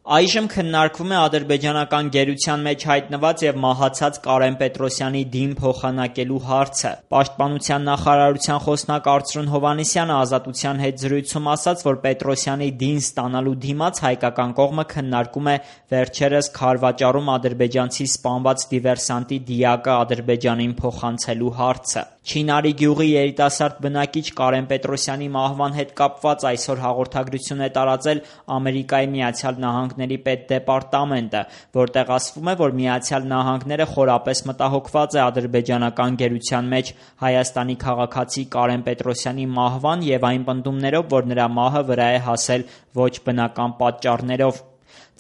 Այժմ քննարկվում է ադրբեջանական գերության մեջ հայտնված եւ մահացած Կարեն Պետրոսյանի դին փոխանակելու հարցը։ Պաշտպանության նախարարության խոսնակ Արծրուն Հովհաննիսյանը Ազատության հետ զրույցում ասաց, որ Պետրոսյանի դին ստանալու դիմաց հայկական կողմը քննարկում է վերջերս Քարվաճառում ադրբեջանցի սպանված դիվերսանտի դիակը Ադրբեջանին փոխանցելու հարցը։ Չինարի գյուղի երիտասարդ բնակիչ Կարեն Պետրոսյանի մահվան հետ կապված այսօր հաղորդագրություն է տարածել Ամերիկայի Միացյալ Նահանգների պետդեպարտամենտը, որտեղ ասվում է, որ Միացյալ Նահանգները խորապես մտահոգված է ադրբեջանական գերության մեջ Հայաստանի քաղաքացի Կարեն Պետրոսյանի մահվան եւ այն պնդումներով, որ նրա մահը վրա է հասել ոչ բնական պատճառներով։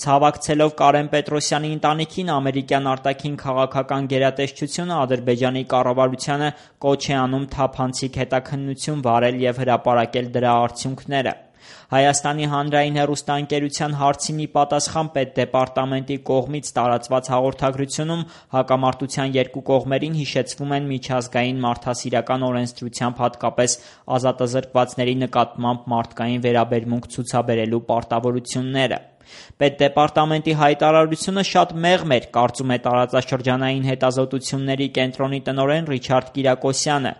Ցավակցելով Կարեն Պետրոսյանի ընտանիքին, ամերիկյան արտաքին քաղաքական գերատեսչությունը Ադրբեջանի կառավարությանը կոչ է անում թափանցիկ հետաքննություն վարել եւ հրապարակել դրա արդյունքները։ Հայաստանի հանրային հեռուստաընկերության հարցին ի պատասխան պետդեպարտամենտի կողմից տարածված հաղորդագրությունում հակամարտության երկու կողմերին հիշեցվում են միջազգային մարդասիրական օրենսդրությամբ հատկապես ազատազրկվածների նկատմամբ մարդկային վերաբերմունք ցուցաբերելու պարտավորությունները։ Պետդեպարտամենտի հայտարարությունը շատ մեղմ էր, կարծում է տարածաշրջանային հետազոտությունների կենտրոնի տնօրեն Ռիչարդ Կիրակոսյանը։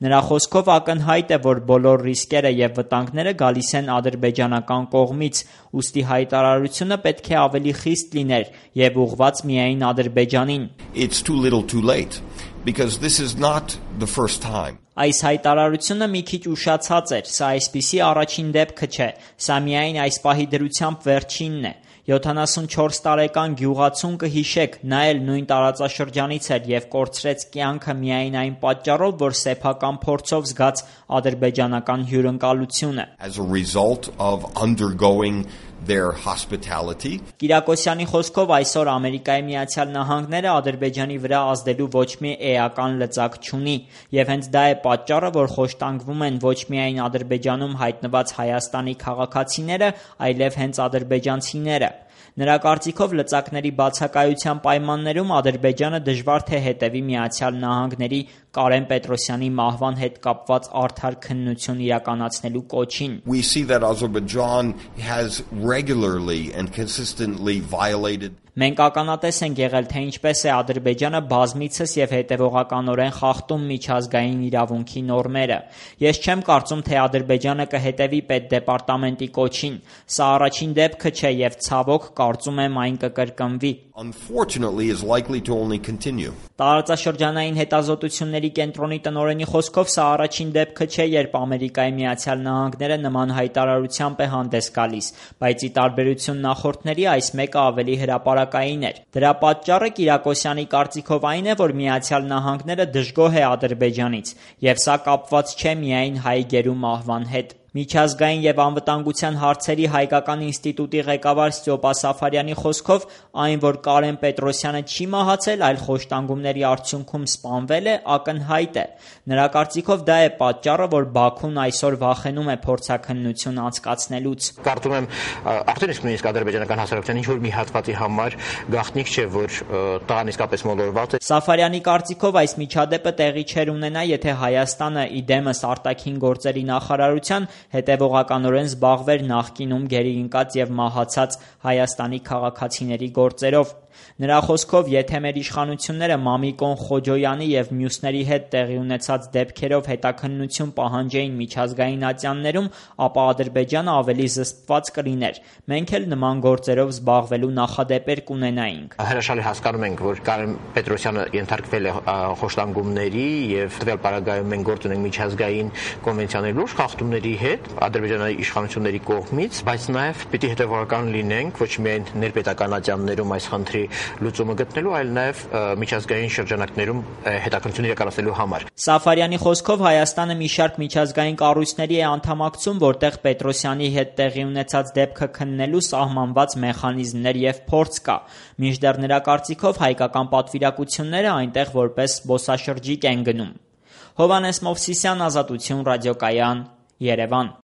Նրա խոսքով ակնհայտ է, որ բոլոր ռիսկերը եւ վտանգները գալիս են ադրբեջանական կողմից, ուստի հայտարարությունը պետք է ավելի խիստ լիներ եւ ուղղված միայն Ադրբեջանին։ It's too little too late because this is not the first time. Այս հայտարարությունը մի քիչ ուշացած էր, սա այսպիսի առաջին դեպքը չէ, սա միայն այս պահի դրությամբ վերջինն է։ 74 տարեկան գյուղացուն կհիշեք, նա էլ նույն տարածաշրջանից էր եւ կորցրեց կյանքը միայն այն պատճառով, որ սեփական փորձով զգաց ադրբեջանական հյուրընկալությունը։ As a result of undergoing their hospitality. Կիրակոսյանի խոսքով այսօր Ամերիկայի Միացյալ Նահանգները Ադրբեջանի վրա ազդելու ոչ մի էական լծակ չունի, եւ հենց դա է պատճառը, որ խոշտանգվում են ոչ միայն Ադրբեջանում հայտնված Հայաստանի քաղաքացիները, այլև հենց ադրբեջանցիները։ Նրա կարծիքով լծակների բացակայության պայմաններում Ադրբեջանը դժվար թե հետևի Միացյալ Նահանգների Կարեն Պետրոսյանի մահվան հետ կապված արդար քննություն իրականացնելու կոչին։ We see that Azerbaijan has regularly and consistently violated. Մենք ականատես ենք եղել, թե ինչպես է Ադրբեջանը բազմիցս եւ հետեւողականորեն խախտում միջազգային իրավունքի նորմերը։ Ես չեմ կարծում, թե Ադրբեջանը կհետևի պետդեպարտամենտի կոչին։ Սա առաջին դեպքը չէ եւ ցավոք կարծում եմ այն կկրկնվի։ Unfortunately is likely to only continue. Տարածաշրջանային հետազոտությունների կենտրոնի տնօրենի խոսքով սա առաջին դեպքը չէ, երբ Ամերիկայի Միացյալ Նահանգները նման հայտարարությամբ է հանդես գալիս, բայց ի տարբերություն նախորդների այս մեկը ավելի հրապարակային էր։ Դրա պատճառը Կիրակոսյանի կարծիքով այն է, որ Միացյալ Նահանգները դժգոհ է Ադրբեջանից, եւ սա կապված չէ միայն հայ գերու մահվան հետ։ Միջազգային եւ անվտանգության հարցերի հայկական ինստիտուտի ղեկավար Ստյոպա Սաֆարյանի խոսքով այն, որ Կարեն Պետրոսյանը չի մահացել, այլ խոշտանգումների արդյունքում սպանվել է, ակնհայտ է։ Նրա կարծիքով դա է պատճառը, որ Բաքուն այսօր վախենում է փորձաքննություն անցկացնելուց։ Կարծում եմ արդեն իսկ նույնիսկ ադրբեջանական հասարակության ինչ-որ մի հատվածի համար գաղտնիք չէ, որ տղան իսկապես մոլորված է։ Սաֆարյանի կարծիքով այս միջադեպը տեղի չէր ունենա, եթե Հայաստանը իդեմս արտաքին գործերի նախարարության հետևողականորեն զբաղվեր նախկինում գերի ընկած եւ մահացած Հայաստանի քաղաքացիների գործերով։ Նրա խոսքով, եթե մեր իշխանությունները Մամիկոն Խոջոյանի եւ մյուսների հետ տեղի ունեցած դեպքերով հետաքննություն պահանջեին միջազգային ատյաններում, ապա Ադրբեջանը ավելի զսպված կլիներ։ Մենք էլ նման գործերով զբաղվելու նախադեպեր կունենայինք։ Հրաշալի հասկանում ենք, որ Կարեն Պետրոսյանը ենթարկվել է խոշտանգումների եւ տվյալ պարագայում մենք գործ ունենք միջազգային կոնվենցիաների լուրջ խախտումների հետ Ադրբեջանի իշխանությունների կողմից, բայց նաեւ պիտի հետեւողական լինենք ոչ միայն ներպետական ատյաններում այս խնդրի լուծումը գտնելու, այլ նաև միջազգային շրջանակներում հետաքննություն իրականացնելու համար։ Սաֆարյանի խոսքով Հայաստանը մի շարք միջազգային կառույցների է անդամակցում, որտեղ Պետրոսյանի հետ տեղի ունեցած դեպքը քննելու սահմանված մեխանիզմներ եւ փորձ կա։ Մինչդեռ նրա կարծիքով հայկական պատվիրակությունները այնտեղ որպես զբոսաշրջիկ են գնում։ Հովհաննես Մովսիսյան, Ազատություն ռադիոկայան, Երևան։